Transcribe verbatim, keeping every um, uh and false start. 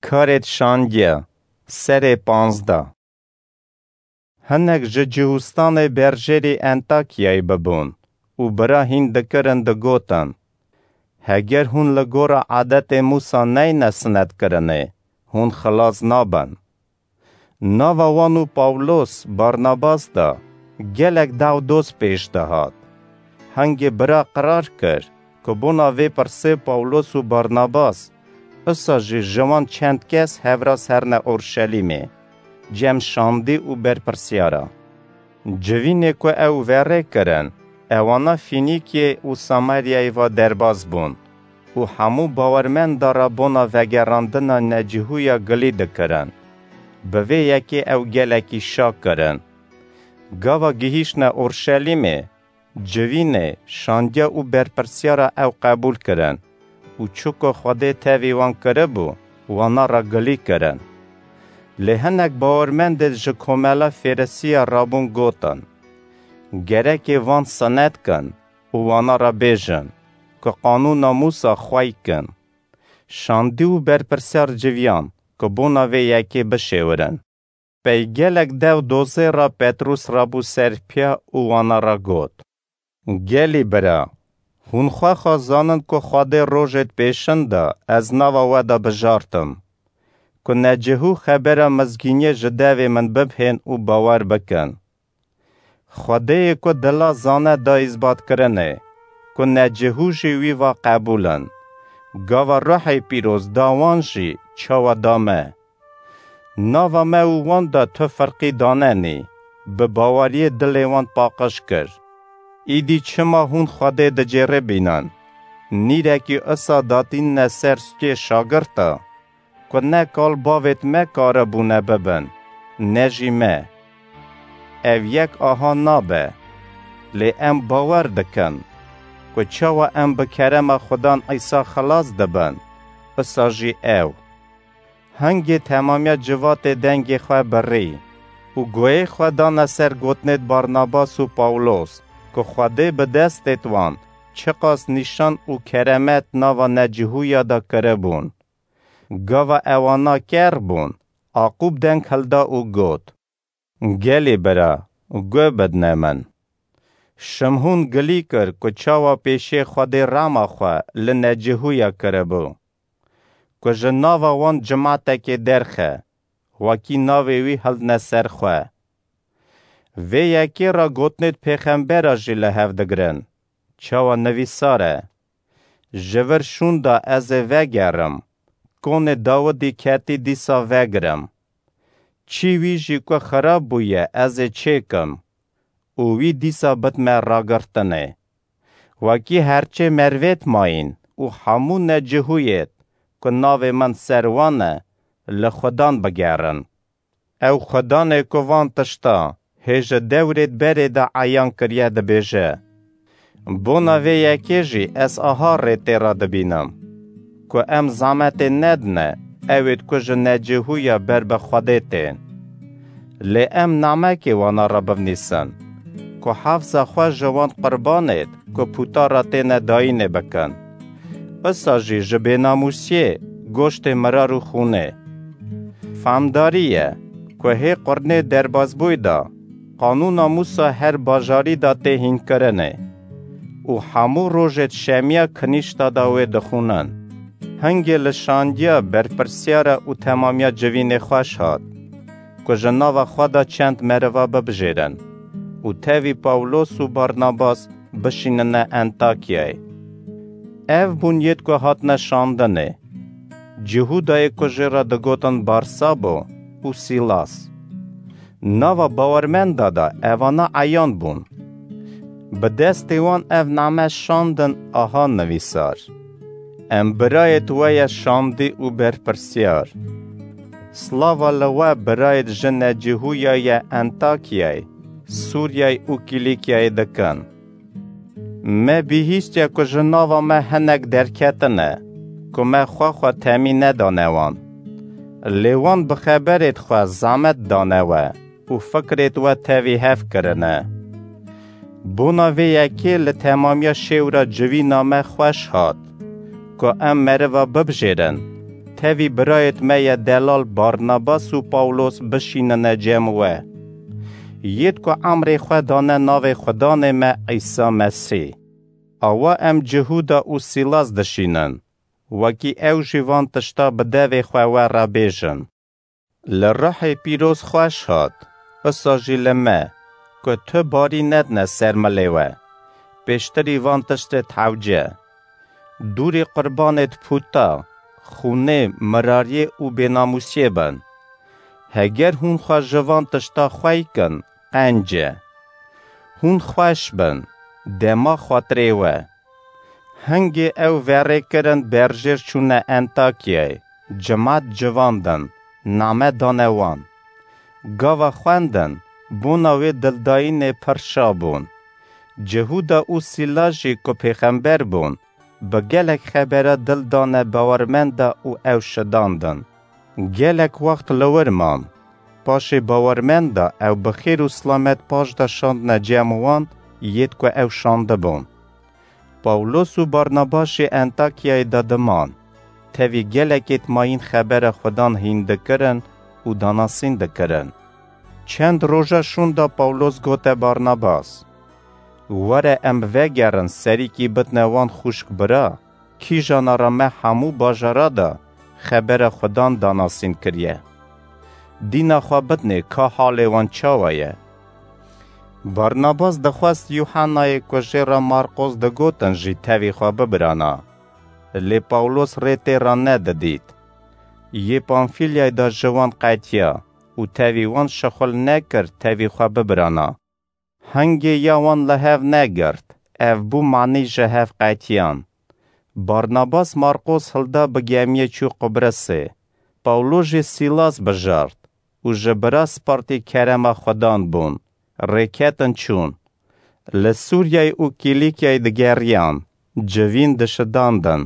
Karêt şandiye, serê panzdeh. Hinek ji Cihûstanê berjêrî Entakyayê bibûn û bira hîn dikirin, digotin, Heger hûn li gora adetê Mûsa neyne sinetkirinê, hûn xilas nabin. Nava wan û Pawlos, Barnabas de gelek daw doz pêş dihat. Hingê bira qirar kir ku bona vê pirsê Pawlos û Barnabas usa jî ji wan çend kes hevras herne Orşelîmê, cem şandî û berpirsyara. Civînê ku ew verê kirin, ewana Fînîkiyê û Samaryayê ve derbas bûn û hemû bawermenda re bona vegerandina necihûya gilî dikirin. Bi vê yekê ew gelekî şa kirin. Gava gihîştine Orşelîmê, civînê, şandiya û berpirsyara ew qebûl kirin û çi ku Xwedê tevî wan kiribû, wana re gilî kirin. Lê hinek bawermendê ji komela Fêrisiya rabûn gotin, Gerekê van sinet kin û wana re bêjin ku qanûna Mûsa xwey kin. Şandî û berpirsiyar civiyan ku bona vê yekê bişêwirin. Pey gelek dew dozê re Petrûs rabû ser piya û wana re got, Gelî bira, hûn xwe xwe zanin ku Xwedê rojêd pêşin de ez nava we de bijartim, ku necihû xebera mizgîniyê ji devê min bibhên û bawer bikin. Xwedêyê ku dila zane da îzbatkirinê, ku necihû jî wî va qebûl in. Gava Ruhê Pîroz da wan jî çawa da me. Nava me û wan de tu firqî danenî, bi baweriyê dilê wan paqij kir. Îdî çima hûn Xwedê dicêribînin? Nîrekî isa datînine ser stûyê şagirta, ku ne kal bavêt me karibûne bibin, ne jî me. Ev yek aha nabe, lê em bawer dikin, ku çawa em bi kerema Xudan Îsa xilas dibin, isa jî ew. Hingê temamiya civatê dengê xwe birî û guhê xwe dane ser gotinêd Barnabas û Pawlos, ku Xwedê bi destêd wan çiqas nîşan û keremet nava necihûya de kiribûn. Gava ewana ker bûn, Aqûb deng hilda û got, Gelî bira, guh bidne min. Şimhûn gilî kir ku çawa pêşê Xwedê rema xwe li necihûya kiribû, ku ji nava wan cimatekê derxe, wekî navê wî hildne ser xwe. Vê yekê re gotinêd pêxembera jî li hev digirin, çawa nivîsar e, Ji vir şûnda ez ê vegerim, konê Dawidî ketî dîsa vegirim. Çî wî jî ku xirab bûye ez ê çêkim û wî dîsa bidme ragirtinê. Wekî herçê mervêt mayîn û hemû necihûyêt ku navê min ser wan e, li Xudan bigerin. Ew Xudanê ku van tişta hê ji dewrêd berê de eyan kiriye dibêje, Bona vê yekê jî ez aha rê tê re dibînim, ku em zametê nedine ewêd ku ji necihûya ber bi Xwedê tên. Lê em namekê wana re bivnîsin, ku hefza xwe ji wan qurbanêd ku pûta re têne dayînê bikin. Isa jî ji bênamûsiyê, goştê mirar û xûnê. Famdarî ye ku hê qurnê derbasbûyî de qanûna Mûsa her bajarî de tê hînkirinê û hemû rojêd şemiya kinîşta de wê dixûnin. Hingê li şandiya berpirsiyara û temamiya civînê xweş hat, ku ji nava xwe de çend meriva bibijêrin û tevî Pawlos û Barnabas bişînine Entakyayê. Ev bûn yêd ku hatine şandinê. Cihûdayê ku jê re digotin Barsabo û Sîlas. Nava bawermenda de evana eyan bûn. Bi destê wan ev name şandin aha nivîsar, Em birayêd we ye şandî û berpirsiyar. Slava li we birayêd ji necihûya ye Entakyayê, Sûriyayê û Kîlîkyayê dikin. Me bihîstiye ku ji nava me hinek derketine, ku me xwe xwe temî nedane wan. Lê wan bi xeberêd xwe zamet dane we û fikrêd we tevî hev kirine. Bona vê yekê li temamiya şêwra civîna me xweş hat, ku em meriva bibijêrin, Tevî birayêt me ye delal Barnabas û Pawlos bişînine cem we. Yêt ku emrê xwe dane navê Xudanê me Îsa Mesî. Awa em Cihûda û Sîlas dişînin, wekî ew jî van tişta bi devê xwe we re bêjin. Li Ruhê Pîroz xweş hat, isa jî li me, ku tu barî nedine ser milê we. Pêştirî van tiştê hewce. Dûrî qurbanêt pûta, xûnê, mirariyê û bênamûsiyê bin. Heger hûn xwe ji van tişta xwey kin, qenc e. Hûn xweş bin, dema xatirê we. Hingê ew verê kirin berjêr çûne Entakyayê, cimat civandin, name dane wan. Gava xwendin, bona wê dildayînê pir şa bûn. Cihûda û Sîla jî ku pêxember bûn, bi gelek xebera dil dane bawermenda û ew şidandin. Gelek wext li wir man. Paşê bawermenda ew bi xêr û silamet paş de şandine cem wan yêt ku ew şandibûn. Pawlos û Barnabas jî Entakyayê de diman. Tevî gelekêt mayîn xebera Xudan hîn dikirin û danasîn dikirin. Çend roja şûnda Pawlos gote Barnabas, Were em vegerin serîkî bidne wan xwişk bira, kîjana re me hemû bajara de xebera Xudan danasîn kiriye. Dîna xwe bidnê ka halê wan çawa ye. Barnabas dixwest Yuhannayê ku jê re Marqos digotin jî tevî xwe bibirana. Lê Pawlos rê tê re nedidît. Yê Pamfîlyayê de ji wan qetiya û tevî wan şixul nekir tevî xwe bibirana. Hingê ya wan li hev negirt, ev bû manî ji hev qetiyan. Barnabas Marqos hilda bi gemiyê çû Qubrisê. Pawlo jî Sîlas bijart û ji bira spartî kerema Xudan bûn. Rêketin çûn. Li Sûriyeyê û Kîlîkyayê digeriyan, civîn dişidandin.